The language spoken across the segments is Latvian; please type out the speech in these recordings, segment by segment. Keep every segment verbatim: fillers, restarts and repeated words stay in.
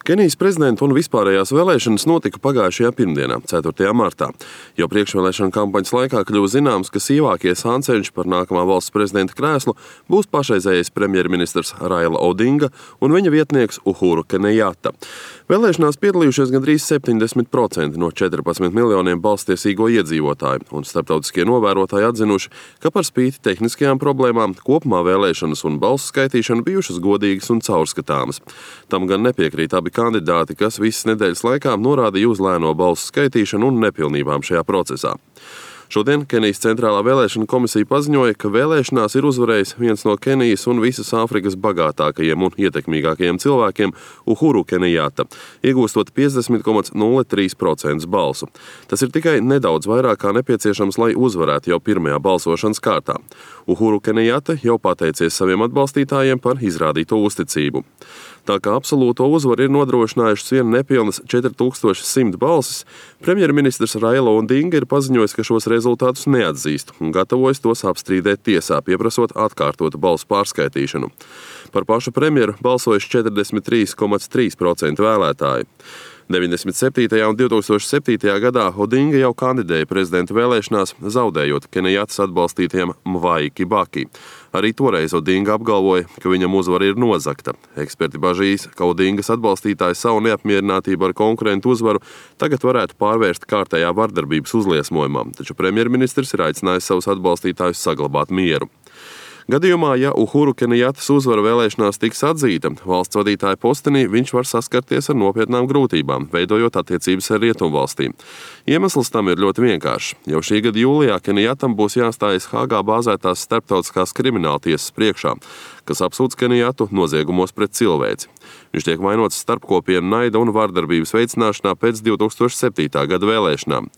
Kenijas prezidenta un vispārējās vēlēšanas notika pagājušajā pirmdienā, ceturtajā martā. Jau priekšvēlēšana kampaņas laikā kļuva zināms, ka sīvākie sānceļš par nākamā valsts prezidenta krēslu būs pašreizējais premjerministrs Raila Odinga un viņa vietnieks Uhuru Kenejata. Vēlēšanās piedalījušies gandrīz septiņdesmit procenti no četrpadsmit miljoniem balstiesīgo iedzīvotāju, un starptautiskie novērotāji atzinuši, ka par spīti tehniskajām problēmām kopumā vēlēšanas un balsu skaitīšana bijušas godīgas un caurskatāmas. Tam gan nepiekrīt abi kandidāti, kas visas nedēļas laikā norādīja uz lēno balsu skaitīšanu un nepilnībām šajā procesā. Šodien Kenijas centrālā vēlēšana komisija paziņoja, ka vēlēšanās ir uzvarējis viens no Kenijas un visas Āfrikas bagātākajiem un ietekmīgākajiem cilvēkiem Uhuru Kenejata, iegūstot piecdesmit komats nulle trīs procenti balsu. Tas ir tikai nedaudz vairāk kā nepieciešams, lai uzvarētu jau pirmajā balsošanas kārtā. Uhuru Kenejata jau pateicies saviem atbalstītājiem par izrādīto uzticību. Tā kā absolūto uzvaru ir nodrošinājušas vien nepilnas četri tūkstoši simt balsis, premjerministrs Raila Odinga ir paziņojis, ka šos rezultātus neatzīst un gatavojas tos apstrīdēt tiesā, pieprasot atkārtotu balsu pārskaitīšanu. Par pašu premjeru balsojuši četrdesmit trīs komats trīs procenti vēlētāji. deviņdesmit septītajā un divtūkstoš septītajā gadā Odinga jau kandidēja prezidenta vēlēšanās, zaudējot Kenejatas atbalstītiem Mwai Kibaki. Arī toreiz Odinga apgalvoja, ka viņam uzvara ir nozagta. Eksperti bažīs, ka Odingas atbalstītāji savu neapmierinātību ar konkurentu uzvaru tagad varētu pārvērst kārtējā vardarbības uzliesmojumā, taču premjerministrs ir aicinājis savus atbalstītājus saglabāt mieru. Gadījumā, ja Uhuru Kenejatas uzvara vēlēšanās tiks atzīta, valsts vadītāja postenī viņš var saskarties ar nopietnām grūtībām, veidojot attiecības ar rietumvalstīm. Iemesls tam ir ļoti vienkāršs. Jau šī gada jūlijā Kenejatam būs jāstājas Hāgā bāzētās starptautiskās krimināltiesas priekšā, kas apsūdz Kenejatu noziegumos pret cilvēci. Viņš tiek vainots starpkopienu naida un vardarbības veicināšanā pēc divtūkstoš septītā gada vēlēšanām.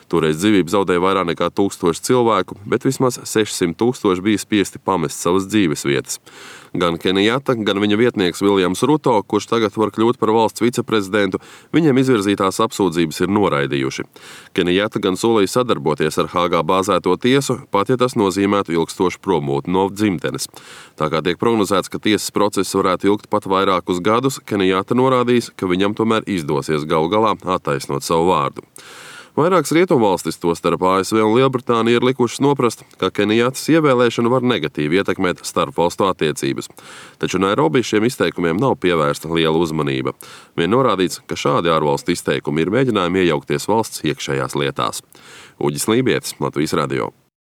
Toreiz dzīvību zaudēja vairāk nekā tūkstoši cilvēku, bet vismaz sešsimt tūkstoši bija spiesti pamest savas dzīves vietas. Gan Kenejata, gan viņa vietnieks Viljams Ruto, kurš tagad var kļūt par valsts viceprezidentu, viņiem izvirzītās apsūdzības ir noraidījuši. Kenejata gan solīja sadarboties ar Hāgā bāzēto tiesu, pat ja tas nozīmētu ilgstošu prombūtni no dzimtenes. Tā kā tiek prognozēts, ka tiesas process varētu ilgt pat vairākus gadus, Kenejata norādījis, ka viņam tomēr izdosies galu galā attaisnot savu vārdu. Vairākas rietumvalstis, tostarp A S V un Lielbritānija, ir likušas noprast, ka Kenejatas ievēlēšana var negatīvi ietekmēt starpvalstu attiecības. Taču Nairobi šiem izteikumiem nav pievērsta liela uzmanība. Vien norādīts, ka šādi ārvalstu izteikumi ir mēģinājumi iejaukties valsts iekšējās lietās. Uģis Lībietis, Latvijas radio.